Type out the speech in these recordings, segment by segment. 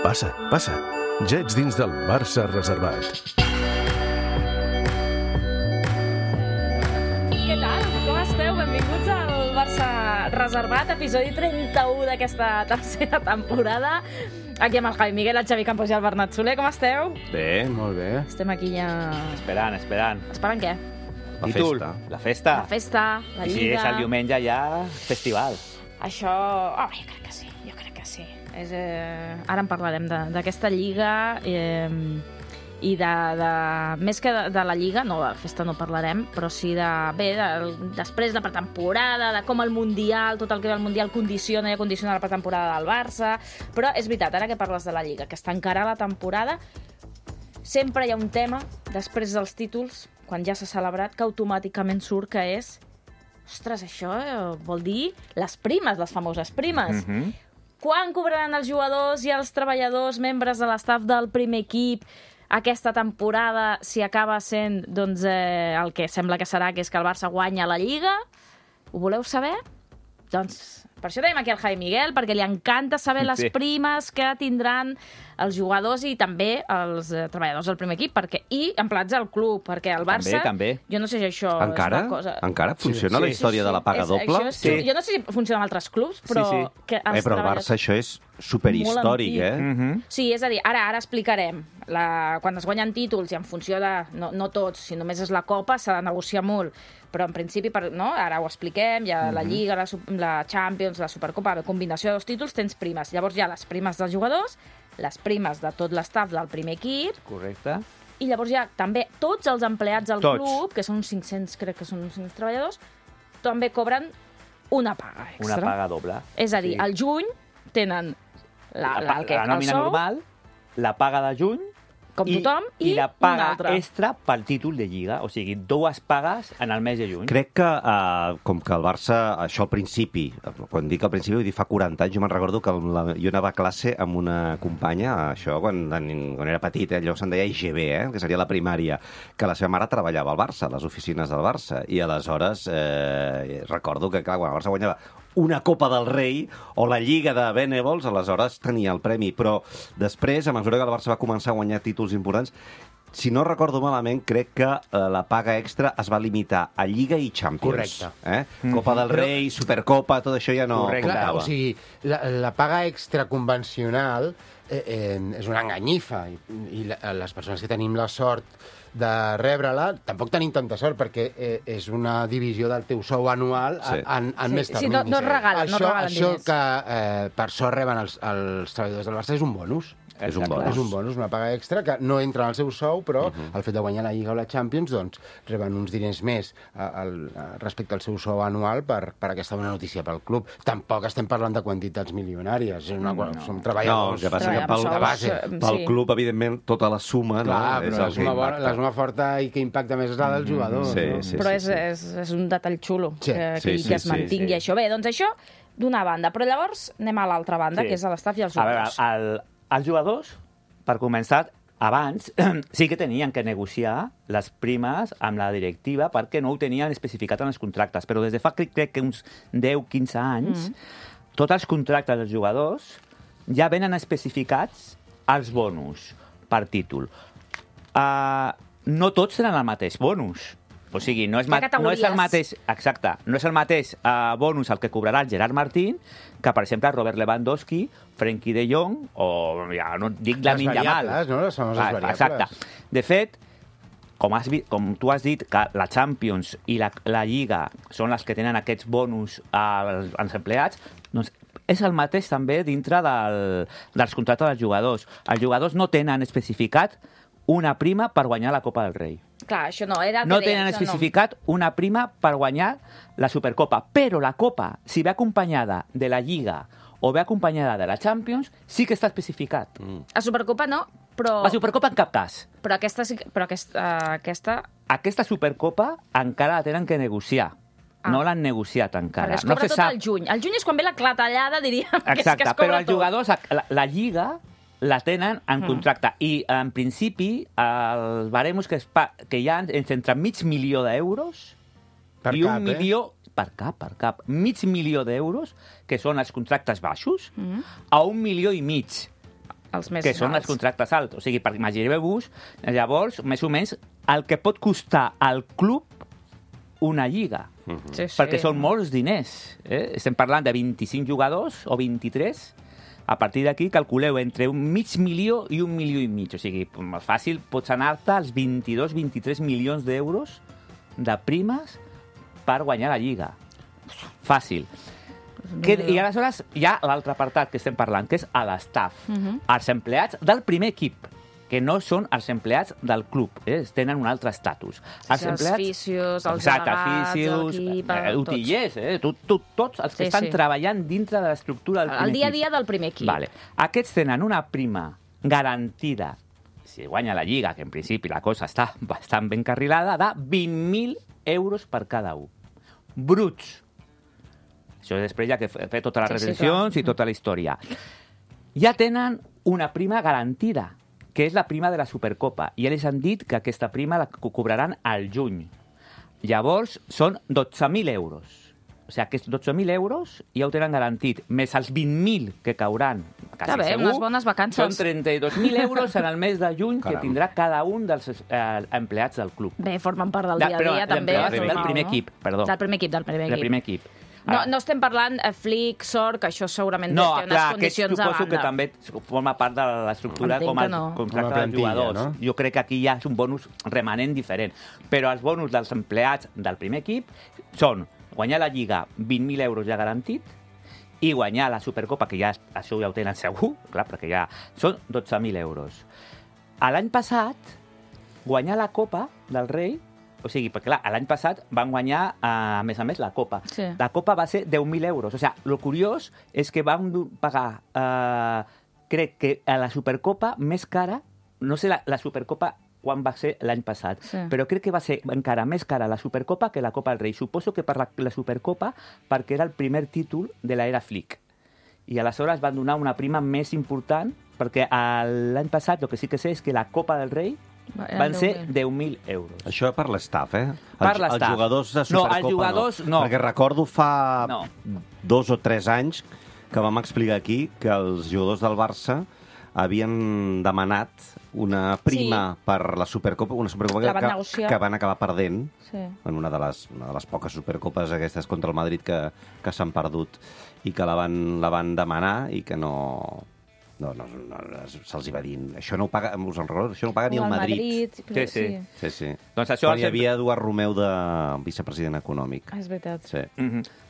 Passa, passa. Ja ets dins del Barça reservat. Què tal? Com esteu? Benvinguts al Barça reservat, episodi 31 d'aquesta tercera temporada. Aquí amb el Javi Miguel, el Xavi Campos i el Bernat Soler. Com esteu? Bé, molt bé. Estem aquí ja... Esperant. Esperant què? La Títol, festa. La festa. La festa, la I Lliga... si és el diumenge ja, festival. Això... Oh, jo crec que sí. Ara en parlarem d'aquesta Lliga i més que de la Lliga, no, de la festa no parlarem, però sí després de la pretemporada, de com el Mundial, tot el que ve al Mundial condiciona la pretemporada del Barça. Però és veritat, ara que parles de la Lliga, que està encara la temporada, sempre hi ha un tema, després dels títols, quan ja s'ha celebrat, que automàticament surt, que és... Ostres, això vol dir les primes, les famoses primes. Quan cobraran els jugadors i els treballadors, membres de l'estaf del primer equip, aquesta temporada, si acaba sent el que sembla que serà, que és que el Barça guanya la Lliga? Ho voleu saber? Doncs per això tenim aquí el Javi Miguel, perquè li encanta saber les primes que tindran els jugadors i també els treballadors del primer equip, i empleats al club, perquè el Barça... També. Jo no sé si això encara? és una cosa... Encara funciona la història de la paga doble? Sí. Jo no sé si funciona en altres clubs, però... Sí. Que els Però el Barça això és superhistòric, Sí, és a dir, ara explicarem. Quan es guanyen títols i en funció de... No tots, si només és la Copa, s'ha de negociar molt. Però en principi, ara ho expliquem, hi ha la Lliga, la Champions, la Supercopa, la combinació de dos títols, tens primes. Llavors hi ha les primes dels jugadors, les primes de tot l'estaf del primer equip... Correcte. I llavors hi ha també tots els empleats del club, que són 500, crec que són 500 treballadors, també cobren una paga extra. Una paga doble. És a dir, al juny tenen la nòmina normal, la paga de juny, com tothom, i la paga una altra extra pel títol de Lliga. O sigui, dues pagues en el mes de juny. Crec que, com que el Barça, això al principi, quan dic al principi, vull dir fa 40 anys, jo me'n recordo que jo anava a classe amb una companya, això quan era petit, allò se'n deia IGB, que seria la primària, que la seva mare treballava al Barça, a les oficines del Barça, i aleshores recordo que, clar, quan el Barça guanyava una Copa del Rei o la Lliga de Benèvols, aleshores tenia el premi. Però després, a mesura que el Barça va començar a guanyar títols importants, si no recordo malament, crec que la paga extra es va limitar a Lliga i Champions. Correcte. Copa del Rei, Supercopa, tot això ja no comptava. O sigui, la paga extra convencional és una enganyifa i les persones que tenim la sort de rebre-la, tampoc tenim tanta sort perquè és una divisió del teu sou anual en més terminis. Sí, no es regalen diners. Això que per sort reben els treballadors del Barça és un bonus. És un bonus. És un bonus, una paga extra que no entra en el seu sou, però el fet de guanyar la Lliga o la Champions, doncs, reben uns diners més respecte al seu sou anual per aquesta bona notícia pel club. Tampoc estem parlant de quantitats milionàries. Som treballadors. No, el que passa que pel club, evidentment, tota la suma... Clar, però la suma forta i que impacta més és la del jugador. Però és un detall xulo que es mantingui això. Bé, doncs això d'una banda. Però llavors anem a l'altra banda, que és l'estaf i els jugadors. A veure, els jugadors, per començar, abans sí que tenien que negociar les primes amb la directiva perquè no ho tenien especificat en els contractes, però des de fa crec que uns 10-15 anys tots els contractes dels jugadors ja venen especificats els bonus per títol. No tots tenen el mateix bonus. O sigui, no és el mateix, exacte, no és el mateix bonus el que cobrarà el Gerard Martín que, per exemple, Robert Lewandowski, Frenkie de Jong o, ja no dic Lamine Yamal. Les famoses variables. Exacte. De fet, com tu has dit, que la Champions i la Lliga són les que tenen aquests bonus als empleats, doncs és el mateix també dintre dels contractes dels jugadors. Els jugadors no tenen especificat una prima per guanyar la Copa del Rei. Clar, això no era... No tenen especificat una prima per guanyar la Supercopa, però la Copa, si ve acompanyada de la Lliga o ve acompanyada de la Champions, sí que està especificat. A Supercopa no, però... La Supercopa en cap cas. Però aquesta... Aquesta Supercopa encara la tenen que negociar. No l'han negociat encara. Però es cobra tot el juny. El juny és quan ve la clatellada, diríem, que es cobra tot. Però els jugadors, la Lliga... la tenen en contracte. I, en principi, els baremos que hi ha entre $500.000 per i cap, 1 milió... Per cap. $500.000 que són els contractes baixos, a 1,5 milions. Els més que són els alts. contractes alts. O sigui, imagineu-vos, llavors, més o menys, el que pot costar al club una lliga. Sí, Perquè són molts diners. Estem parlant de 25 jugadors o 23. A partir d'aquí calculeu entre 500.000 i 1,5 milions. O sigui, molt fàcil, pots anar-te als 22-23 milions d'euros de primes per guanyar la lliga. Fàcil. I aleshores hi ha l'altre apartat que estem parlant, que és a l'estaf. Els empleats del primer equip, que no són els empleats del club, tenen un altre estatus. Els fisios, els delegats, l'equip... utillers, tots els que estan treballant dintre de l'estructura del primer equip. El dia a dia del primer equip. Vale. Aquests tenen una prima garantida, si guanya la lliga, que en principi la cosa està bastant ben carrilada, de 20.000 euros per cada un. Bruts. Això després ja que fer totes les retencions i tota la història. Ja tenen una prima garantida, que és la prima de la Supercopa. I ells han dit que aquesta prima la cobraran al juny. Llavors, són 12.000 euros. O sigui, aquests 12.000 euros ja ho tenen garantit, més els 20.000 que cauran, quasi bé, segur, unes bones vacances. són 32.000 euros en el mes de juny que tindrà cada un dels empleats del club. Bé, formen part del dia a dia, també. Del primer equip, perdó. Del primer equip. No estem parlant Flick, Sort, que això segurament té unes condicions a banda. Suposo que també forma part de l'estructura com el contracte dels jugadors. No? Jo crec que aquí ja és un bonus remanent diferent. Però els bonus dels empleats del primer equip són guanyar la Lliga 20.000 euros ja garantit i guanyar la Supercopa, que ja això ja ho tenen segur, clar, perquè ja són 12.000 euros. L'any passat, guanyar la Copa del Rei, o sigui, perquè clar, l'any passat van guanyar, a més, la Copa. Sí. La Copa va ser 10.000 euros. O sigui, el curiós és que van pagar, crec que a la Supercopa més cara, no sé la Supercopa quan va ser l'any passat, però crec que va ser encara més cara la Supercopa que la Copa del Rei. Suposo que per la Supercopa perquè era el primer títol de l'era Flick. I aleshores van donar una prima més important perquè l'any passat el que sí que sé és que la Copa del Rei van ser 10.000 euros. Això per l'estaf, eh? Per l'estaf. Els jugadors de Supercopa no. Els jugadors no. Perquè recordo fa 2 o 3 anys que vam explicar aquí que els jugadors del Barça havien demanat una prima per la Supercopa, una Supercopa que van acabar perdent en una de les poques Supercopes aquestes contra el Madrid que s'han perdut i que la van demanar i que no se'ls va dir, això no ho paga, us en recordo, això no ho paga ni el Madrid. Sí. Doncs això quan hi havia Eduard Romeu de vicepresident econòmic. És veritat. Sí.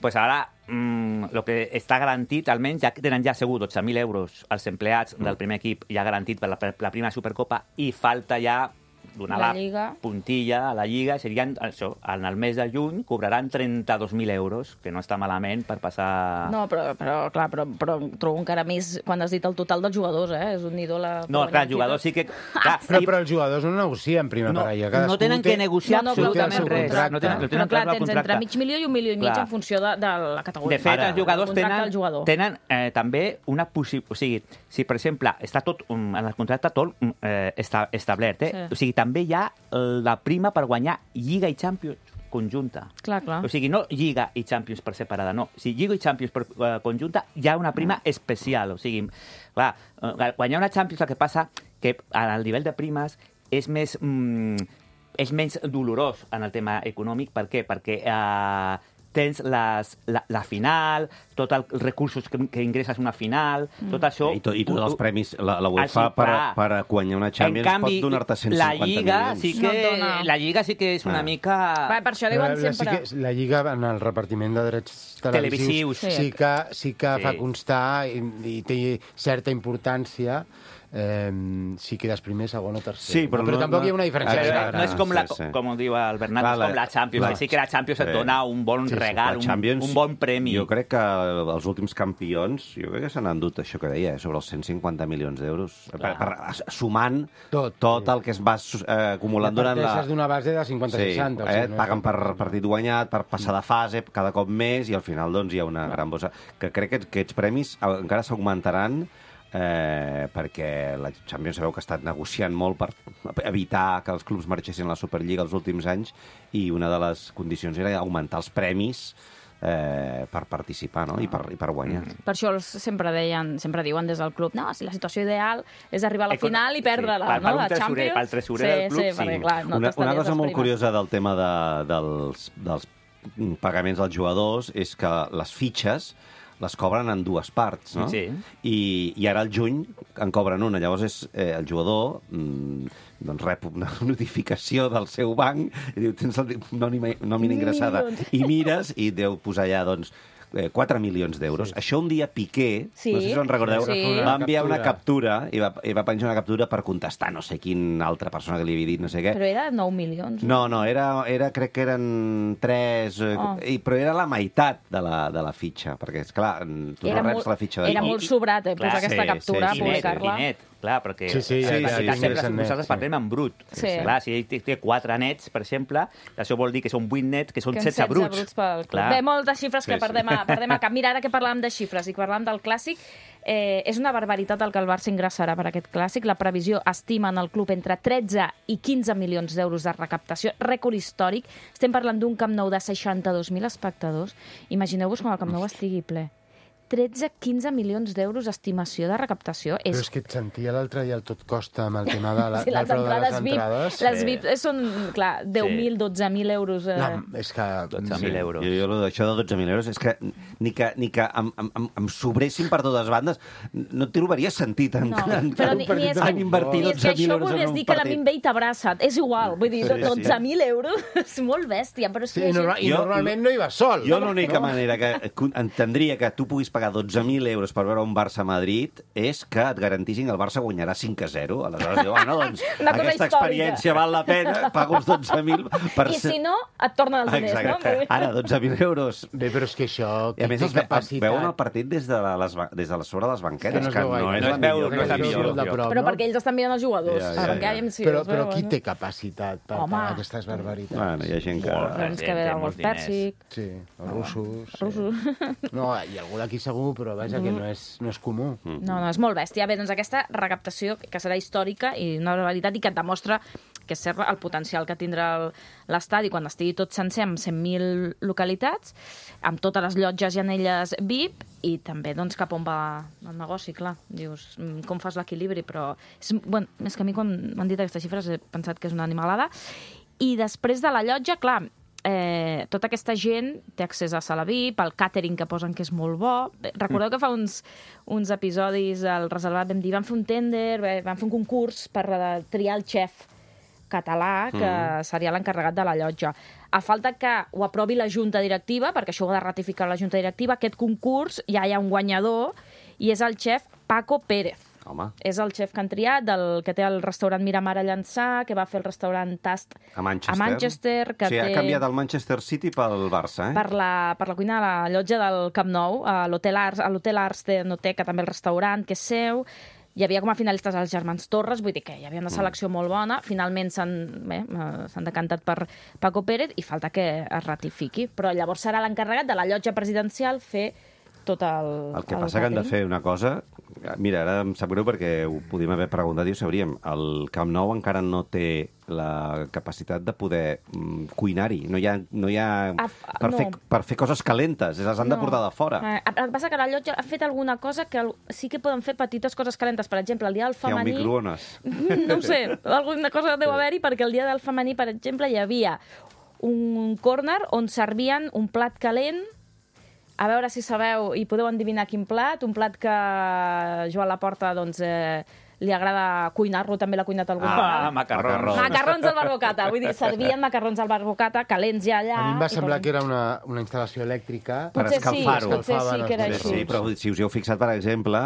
Pues ara, el que està garantit, almenys ja tenen ja segur 12.000 euros els empleats del primer equip ja garantit per la prima Supercopa i falta ja donar la puntilla a la Lliga, serien, això, en el mes de juny cobraran 32.000 euros, que no està malament per passar... No, però trobo encara més quan has dit el total dels jugadors, És un nidó la... No, clar, els jugadors sí que... Però els jugadors no negocien prima per allà. No tenen que negociar absolutament res. Però clar, tens entre mig milió i 1,5 milions en funció de la categoria. De fet, els jugadors tenen també una possibilitat... O sigui, si, per exemple, està tot en el contracte tot establert, o sigui, també hi ha la prima per guanyar Lliga i Champions conjunta. Clar. O sigui, no Lliga i Champions per separada, no. Si Lliga i Champions per conjunta, hi ha una prima especial. O sigui, clar, guanyar una Champions el que passa que al nivell de primes és menys dolorós en el tema econòmic. Per què? Perquè tens la final, tots els recursos que ingresses una final, tot això... I tots els premis, la UEFA per guanyar una Champions pot donar-te 150 milions. La Lliga sí que és una mica... Per això diuen sempre... La Lliga, en el repartiment de drets televisius, sí que fa constar i té certa importància si quedes primer, segon o tercer. Sí, però tampoc hi ha una diferència. No és com diu el Bernat, és com la Champions. Sí que la Champions et dona un bon regal, un bon premi. Jo crec que els últims campions, s'han endut això que deia, sobre els 150 milions d'euros, sumant tot el que es va acumulant durant la... Parteixes d'una base de 50-60. Et paguen per partit guanyat, per passar de fase cada cop més, i al final hi ha una gran bossa. Que crec que aquests premis encara s'augmentaran perquè la Champions sabeu que ha estat negociant molt per evitar que els clubs marxessin a la Superliga els últims anys i una de les condicions era augmentar els premis per participar, no? I per guanyar. Per això sempre diuen des del club, no, si la situació ideal és arribar a la final i perdre-la, no? La Champions. Pel tresorer del club, sí. Perquè, clar, no Una cosa molt curiosa del tema dels pagaments dels jugadors és que les fitxes les cobren en dues parts, no? Sí. I ara al juny en cobren una. Llavors el jugador doncs rep una notificació del seu banc i diu, tens nòmina ingressada. I mires i deu posar allà, doncs, 4 milions d'euros. Sí. Això un dia Piqué, no sé si us en recordeu, va enviar una captura i va penjar una captura per contestar no sé quin altra persona que li havia dit no sé què. Però era 9 milions. No, crec que eren 3, però era la meitat de la fitxa, perquè, esclar, tu no reps la fitxa. Era molt sobrat, posar aquesta captura, publicar-la. I net, clar, perquè sempre nosaltres parlem en brut. Clar, si ell té 4 nets, per exemple, això vol dir que són 8 nets, que són 16 bruts. Bé, moltes xifres que perdem a cap. Mira, ara que parlàvem de xifres i que parlàvem del Clàssic, és una barbaritat el que el Barça ingressarà per aquest Clàssic. La previsió estima en el club entre 13 i 15 milions d'euros de recaptació, rècord històric. Estem parlant d'un Camp Nou de 62.000 espectadors. Imagineu-vos quan el Camp Nou estigui ple. 13-15 milions d'euros d'estimació de recaptació. Però és que et sentia l'altre dia el tot costa amb el tema del les preu de les entrades. Les VIP són, clar, 10.000, 12.000 euros. No, és que... 12.000 euros. Jo això de 12.000 euros és que ni que em sobressin per totes bandes no trobaria sentit en invertir 12.000 euros en un partit. És que això volgués dir que la Minbei t'abraça. És igual, vull dir, 12.000 euros és molt bèstia, però és que... I normalment no hi va sol. Jo l'única manera que entendria que tu puguis pagar 12.000 euros per veure un Barça-Madrid és que et garantissin que el Barça guanyarà 5-0. Aleshores diu, bueno, doncs, aquesta experiència val la pena, pago els 12.000 per... I si no, et tornen els diners, no? Ara, 12.000 euros. Bé, però és que això... I a més, veuen el partit des de sobre les banquetes, que no és la millor. Però perquè ells estan mirant els jugadors. Però qui té capacitat per pagar aquestes barbaritats? Bueno, hi ha gent que... Doncs que ve del golf pèrsic. Sí, els russos. No, hi ha algú d'aquí segur, però vaja, que no és comú. No, és molt bèstia. Bé, doncs aquesta recaptació que serà històrica i una barbaritat i que et demostra que és cert el potencial que tindrà l'estadi quan estigui tot sencer amb 100.000 localitats, amb totes les llotges i anelles VIP i també doncs, cap on va el negoci, clar. Dius, com fas l'equilibri, però... És que a mi quan m'han dit aquestes xifres he pensat que és una animalada. I després de la llotja, clar, tota aquesta gent té accés a sala VIP, el càtering que posen que és molt bo. Recordeu que fa uns episodis al Reservat vam dir, van fer un tender, van fer un concurs per triar el xef català, que seria l'encarregat de la llotja. A falta que ho aprovi la junta directiva, perquè això ho ha de ratificar la junta directiva, aquest concurs ja hi ha un guanyador, i és el xef Paco Pérez. Home. És el xef que han triat, que té el restaurant Miramar a Llançà, que va fer el restaurant Tast a Manchester. Que ha canviat el Manchester City pel Barça, Per la cuina de la llotja del Camp Nou, a l'Hotel Ars de Noté, que també el restaurant, que és seu. Hi havia com a finalistes els germans Torres, vull dir que hi havia una selecció molt bona. Finalment s'han decantat per Paco Pérez i falta que es ratifiqui. Però llavors serà l'encarregat de la llotja presidencial fer tot el que passa que han de fer una cosa... Mira, ara em sap greu perquè ho podíem haver preguntat i ho sabríem. El Camp Nou encara no té la capacitat de poder cuinar-hi. No hi ha per fer coses calentes. Les han de portar de fora. El que passa que la llotja ha fet alguna cosa que sí que poden fer petites coses calentes. Per exemple, el dia del femení... Hi ha un microones. No ho sé, alguna cosa deu haver-hi perquè el dia del femení, per exemple, hi havia un córner on servien un plat calent. A veure si sabeu i podeu endevinar quin plat. Un plat que Joan Laporta doncs, li agrada cuinar-lo, també l'ha cuinat algun vegada. Macarrons. Macarrons al barbocata. Vull dir, servien macarrons al barbocata, calents ja allà. A mi em va semblar que era una instal·lació elèctrica per escalfar-ho. Potser sí que era així. Sí, però si us hi heu fixat, per exemple,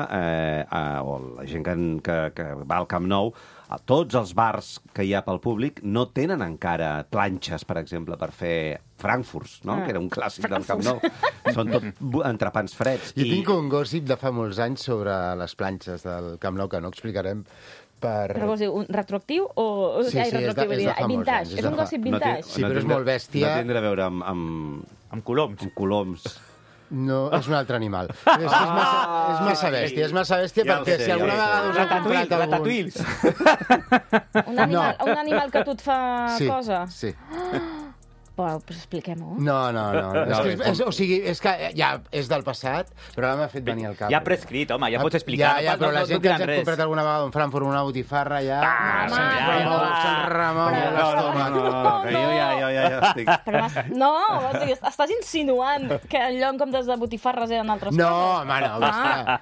o la gent que va al Camp Nou, a tots els bars que hi ha pel públic no tenen encara planxes, per exemple, per fer frankfurts, no? Que era un clàssic del Camp Nou. Són tot entrepans freds. Jo tinc un gossip de fa molts anys sobre les planxes del Camp Nou, que no explicarem Però vols dir, un retroactiu o... Sí, és de fa molts anys. És un gossip vintage. Sí, però és molt bèstia. No tindrà a veure amb coloms. Amb coloms. No, és un altre animal. És massa bèstia, perquè si alguna vegada us ha comprat algun... Ratatouilles. Un animal que tu et fa cosa? Sí. Pues expliquem-ho. No. O sigui, és que ja és del passat, però ara m'ha fet venir al cap. Ja prescrit, home, ja pots explicar. Ja, però la gent que ens ha comprat alguna vegada un Frankfurt o una botifarra ja... Se'n remou l'estómac. Que jo ja estic... No, o sigui, estàs insinuant que en lloc en comptes de botifarres eren altres coses. No, home, no.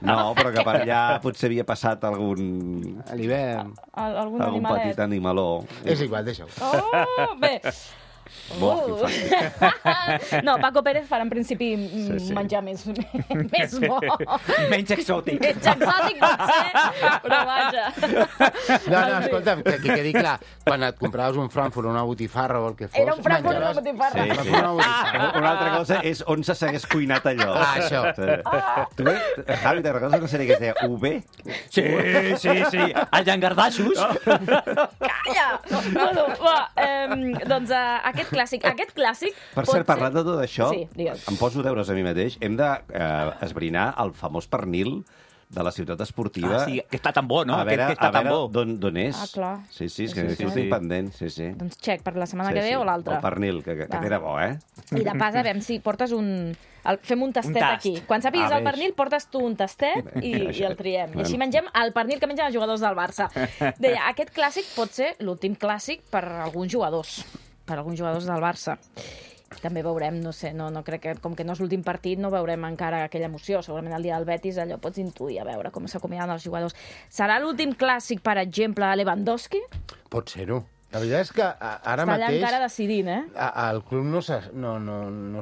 No, però que per allà potser havia passat algun... A l'hivern. Algun Algun animalet. petit animaló. És igual, deixa-ho. Oh, bé. No, Paco Pérez farà en principi menjar més bo. Menys exòtic. Menys exòtic potser, però vaja. No, escolta'm, que quedi clar, quan et compraves un Frankfurt o una botifarra o el que fos... Era un Frankfurt o una botifarra. Una altra cosa és on se s'hagués cuinat allò. Això. Tu, Javi, te recordes una sèrie que es deia UB? Sí. El Llangardaixos. Calla! Bueno, va, doncs aquest clàssic... Per cert, parlant de tot això, Sí, digues. em poso deures a mi mateix, hem d'esbrinar el famós pernil de la ciutat esportiva. Sí, que està tan bo, no? A veure, que està tan bo. d'on és. Ah, clar. Sí, és que Sí. estic pendent, sí. Doncs check per la setmana que ve o l'altra. El pernil, que era bo, eh? I de pas, a veure si portes fem un tastet tast. aquí. Quan sàpiguis el veig. pernil, portes tu un tastet i el triem. I així mengem el pernil que mengen els jugadors del Barça. Deia, aquest clàssic pot ser l'últim clàssic per alguns jugadors del Barça. També veurem, no sé, no crec que, com que no és l'últim partit, no veurem encara aquella emoció. Segurament el dia del Betis allò pots intuir, a veure com s'acomiaden els jugadors. Serà l'últim clàssic, per exemple, a Lewandowski? Pot ser-ho. La veritat és que ara Està allà mateix... encara decidint, eh? Al club no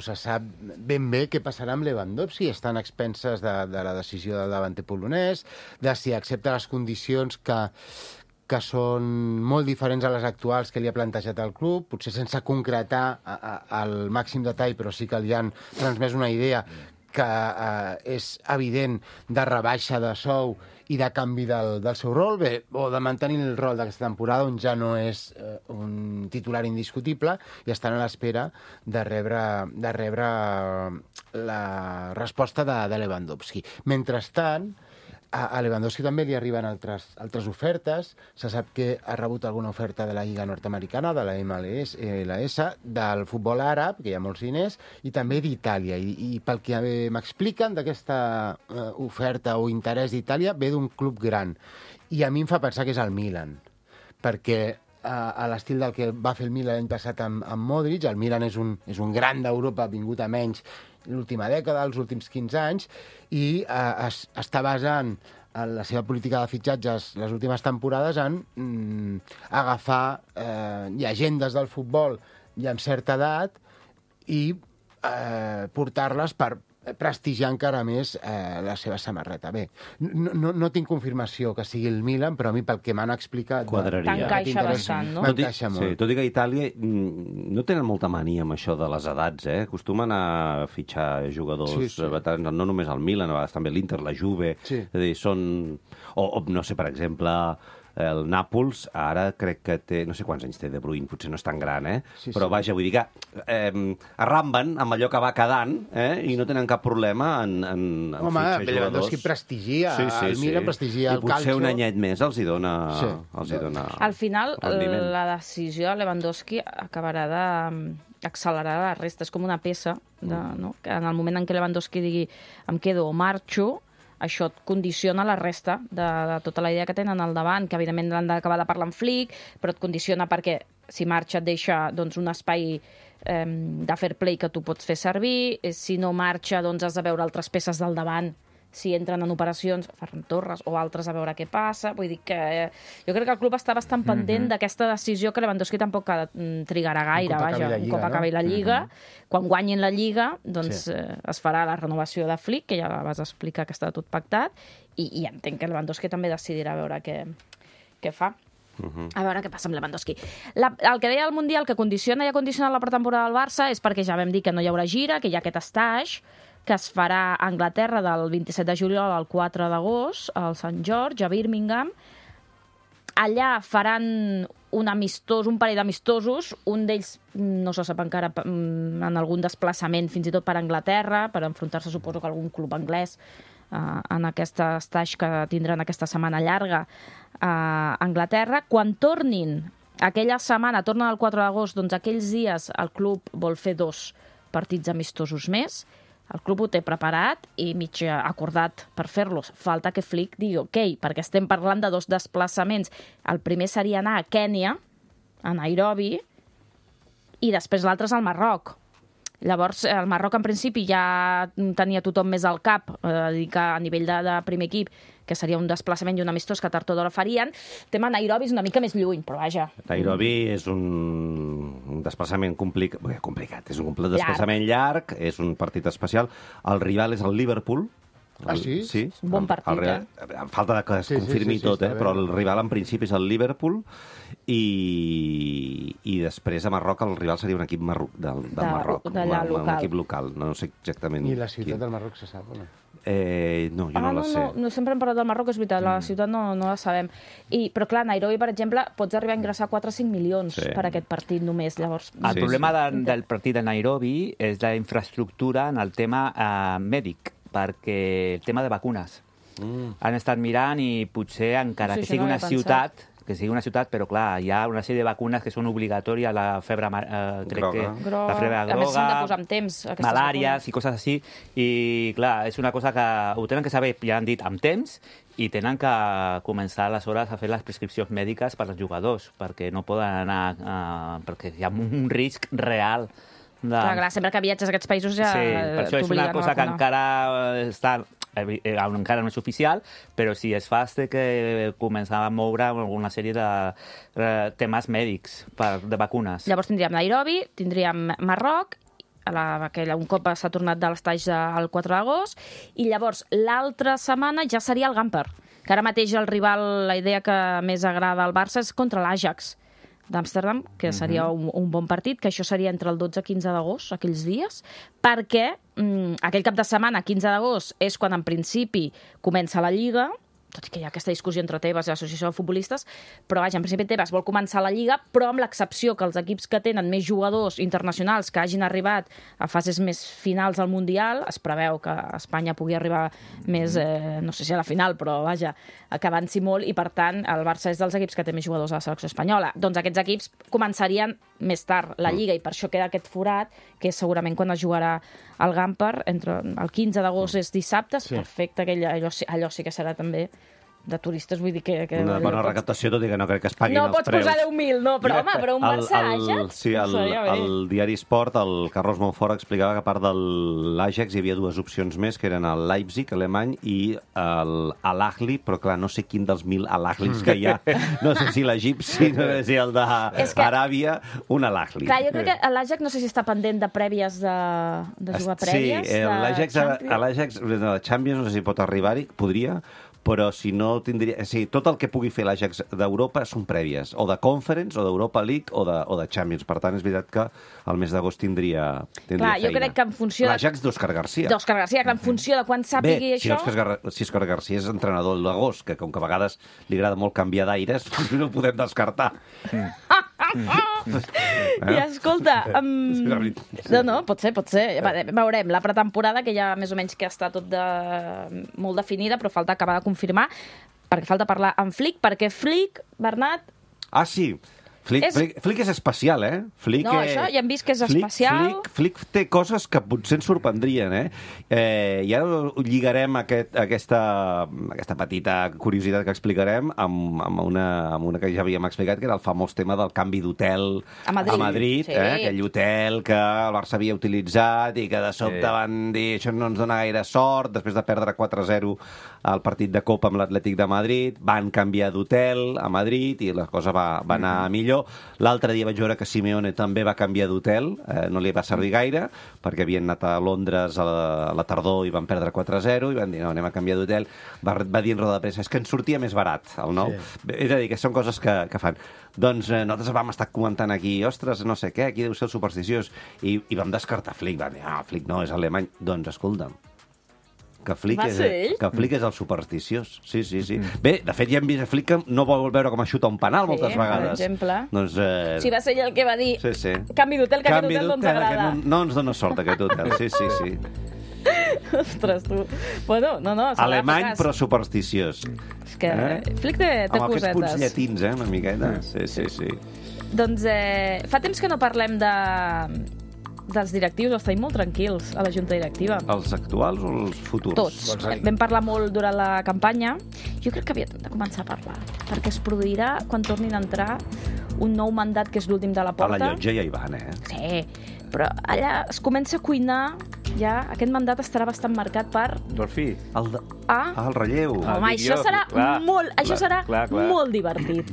se sap ben bé què passarà amb Lewandowski. Estan a expenses de la decisió del davanter polonès, de si accepta les condicions que són molt diferents a les actuals que li ha plantejat el club, potser sense concretar el màxim detall, però sí que li han transmès una idea que és evident de rebaixa de sou i de canvi del seu rol, o de mantenir el rol d'aquesta temporada, on ja no és un titular indiscutible, i estan a l'espera de rebre la resposta de Lewandowski. Mentrestant, a Lewandowski també li arriben altres ofertes. Se sap que ha rebut alguna oferta de la Lliga Nord-Americana, de la MLS, del futbol àrab, que hi ha molts diners, i també d'Itàlia. I pel que m'expliquen d'aquesta oferta o interès d'Itàlia, ve d'un club gran. I a mi em fa pensar que és el Milan, perquè a l'estil del que va fer el Milan l'any passat amb Modric, el Milan és un gran d'Europa, vingut a menys l'última dècada, els últims 15 anys, i està basant la seva política de fitxatges les últimes temporades en agafar llegendes del futbol ja amb certa edat i portar-les per prestigiar encara més la seva samarreta. Bé, no tinc confirmació que sigui el Milan, però a mi pel que m'han explicat... Quadraria. T'encaixa bastant, no? M'encaixa molt. Sí, tot i que a Itàlia no tenen molta mania amb això de les edats, eh? Acostumen a fitxar jugadors veterans, no només el Milan, a vegades també l'Inter, la Juve... Sí. És a dir, són... O no sé, per exemple... El Nàpols ara crec que té... No sé quants anys té De Bruyne, potser no és tan gran, eh? Sí, però vaja, vull dir que arramben amb allò que va quedant i no tenen cap problema en fitxar jugadors. Lewandowski prestigia, el Milan prestigia el Calcio. I potser un anyet més els hi dona... Al final, rendiment. la decisió de Lewandowski acabarà d'accelerar la resta. És com una peça, no? Que en el moment en què Lewandowski digui em quedo o marxo, això et condiciona la resta de tota la idea que tenen al davant, que evidentment l'han d'acabar de parlar amb Flick, però et condiciona perquè si marxa et deixa doncs, un espai de fair play que tu pots fer servir, si no marxa doncs has de veure altres peces del davant, si entren en operacions, Ferran Torres o altres, a veure què passa. Vull dir que jo crec que el club està bastant pendent d'aquesta decisió que Lewandowski tampoc trigarà gaire, un cop acabi la Lliga. Quan guanyin la Lliga, doncs es farà la renovació de Flick, que ja la vas explicar que està tot pactat, i entenc que Lewandowski també decidirà a veure què fa. A veure què passa amb Lewandowski. El que deia el Mundial, que condiciona i ha condicionat la pretemporada del Barça, és perquè ja vam dir que no hi haurà gira, que hi ha aquest stage, que es farà a Anglaterra del 27 de juliol al 4 d'agost, al Sant George, a Birmingham. Allà faran un parell d'amistosos, un d'ells no se sap encara en algun desplaçament, fins i tot per Anglaterra, per enfrontar-se, suposo que algun club anglès, en aquest stage que tindran aquesta setmana llarga a Anglaterra. Quan tornin aquella setmana, tornen el 4 d'agost, doncs aquells dies el club vol fer 2 partits amistosos més. El club ho té preparat i mig acordat per fer-los. Falta que Flick digui ok, perquè estem parlant de 2 desplaçaments. El primer seria anar a Kènia, a Nairobi, i després l'altre és al Marroc. Llavors, el Marroc, en principi, ja tenia tothom més al cap, dir que a nivell de primer equip, que seria un desplaçament i un amistós que tard o d'hora farien. El tema Nairobi és una mica més lluny, però vaja. Nairobi és un desplaçament complicat. És un desplaçament llarg, és un partit especial. El rival és el Liverpool. Ah, sí? Sí. Un bon partit, Amb falta de que es confirmi tot, però el rival en principi és el Liverpool i després a Marroc el rival seria un equip del Marroc, un equip local, no sé exactament. I la ciutat del Marroc se sap o no? No, jo no la sé. No, sempre hem parlat del Marroc, és veritat, la ciutat no la sabem. Però clar, Nairobi, per exemple, pots arribar a ingressar 4 o 5 milions per aquest partit només. Llavors, el problema del partit de Nairobi és la infraestructura en el tema mèdic, perquè el tema de vacunes. Han estat mirant i potser encara que sigui una ciutat, però clar, hi ha una sèrie de vacunes que són obligatòries, la febre groga. La febre a més, s'han de groga, posar amb temps, malàries i coses així, i clar, és una cosa que ho tenen que saber, ja han dit, amb temps, i tenen que començar aleshores a fer les prescripcions mèdiques per als jugadors, perquè no poden anar... perquè hi ha un risc real. Clar, sempre que viatges a aquests països ja per això és una cosa que encara està... encara no és oficial, però sí, és fast que començar a moure una sèrie de temes mèdics de vacunes. Llavors tindríem Nairobi, tindríem Marroc, un cop s'ha tornat de l'estatge el 4 d'agost, i llavors l'altra setmana ja seria el Gamper, que ara mateix el rival, la idea que més agrada al Barça és contra l'Ajax d'Amsterdam, que seria un bon partit, que això seria entre el 12 i 15 d'agost, aquells dies, perquè aquell cap de setmana, 15 d'agost, és quan en principi comença la Lliga, tot i que hi ha aquesta discussió entre Tebas i l'Associació de Futbolistes, però vaja, en principi Tebas vol començar la Lliga, però amb l'excepció que els equips que tenen més jugadors internacionals que hagin arribat a fases més finals al Mundial, es preveu que Espanya pugui arribar més, no sé si a la final, però vaja, que avanci molt, i per tant el Barça és dels equips que té més jugadors a la selecció espanyola. Doncs aquests equips començarien més tard la Lliga, i per això queda aquest forat, que és segurament quan es jugarà el Gamper, entre el 15 d'agost és dissabte, és perfecte, allò sí que serà també de turistes, vull dir que... Una bona recaptació, tot i que no crec que es paguin els preus. No pots posar 10.000, no, però home, però un Barça Àgex... Sí, el diari Sport, el Carlos Monfort explicava que a part de l'Àgex hi havia 2 opcions més, que eren el Leipzig, alemany, i l'Al-Ahly, però clar, no sé quin dels 1.000 Al-Ahlis que hi ha. No sé si l'egipci, no sé si el d'Aràbia, un Al-Ahli. Clar, jo crec que l'Àgex no sé si està pendent de prèvies, de jugar prèvies. Sí, l'Àgex, de Champions, no sé si pot arribar-hi, podria, però si no tindria... tot el que pugui fer l'Àgex d'Europa són prèvies, o de Conference, o d'Europa League, o de Champions. Per tant, és veritat que el mes d'agost tindria feina. Clar, jo crec que en funció... L'Àgex d'Òscar Garcia. D'Òscar Garcia, que en funció de quan sàpigui això... Si Òscar Garcia és entrenador d'agost, que com que a vegades li agrada molt canviar d'aires, no ho podem descartar. I escolta... No, pot ser. Veurem, la pretemporada, que ja més o menys que està tot molt definida, però falta acabar de confirmar, perquè falta parlar amb Flick, perquè Flick, Bernat... Ah, sí. Flick és especial, Flick, no, això ja hem vist que és especial. Flick té coses que potser ens sorprendrien, I ara lligarem aquesta petita curiositat que explicarem amb una que ja havíem explicat, que era el famós tema del canvi d'hotel a Madrid, sí. Aquell hotel que el Barça havia utilitzat i que de sobte van dir això no ens dona gaire sort, després de perdre 4-0 al partit de Copa amb l'Atlètic de Madrid, van canviar d'hotel a Madrid i la cosa va anar millor. L'altre dia vaig veure que Simeone també va canviar d'hotel, no li va servir gaire, perquè havien anat a Londres a la tardor i van perdre 4-0, i van dir, no, anem a canviar d'hotel. Va dir en roda de premsa, és que ens sortia més barat, el nou. Sí. És a dir, que són coses que fan. Doncs nosaltres vam estar comentant aquí, ostres, no sé què, aquí deu ser el supersticiós, i vam descartar Flick, van dir, Flick no, és alemany. Doncs escolta'm, que Flick és el supersticiós. Sí. Bé, de fet, ja hem vist a Flick que no vol veure com a xuta un penal moltes vegades. Per exemple. Doncs, sí, va ser ell el que va dir canvi d'hotel, que aquest hotel no ens agrada. No ens dona sort, aquest hotel. Sí. Ostres, tu. Bueno, no, serà Alemany, eficaç. però supersticiós. És que Flick té Amb aquests cosetes. punts llatins, una miqueta. Sí. Doncs fa temps que no parlem dels directius, els tenim molt tranquils a la junta directiva. Els actuals o els futurs? Tots. Vam parlar molt durant la campanya. Jo crec que aviat hem de començar a parlar, perquè es produirà quan tornin a entrar un nou mandat, que és l'últim de la A porta. la llotja ja hi van, Sí, però allà es comença a cuinar, ja aquest mandat estarà bastant marcat per... Dolfí. El relleu. Home, això serà molt divertit.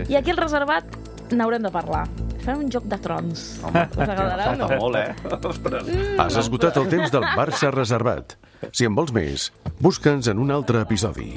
I aquí al reservat n'haurem de parlar. Farem un joc de trons. Home, us agradarà o no? falta molt, Ostres. Has esgotat el temps del Barça reservat. Si en vols més, busca'ns en un altre episodi.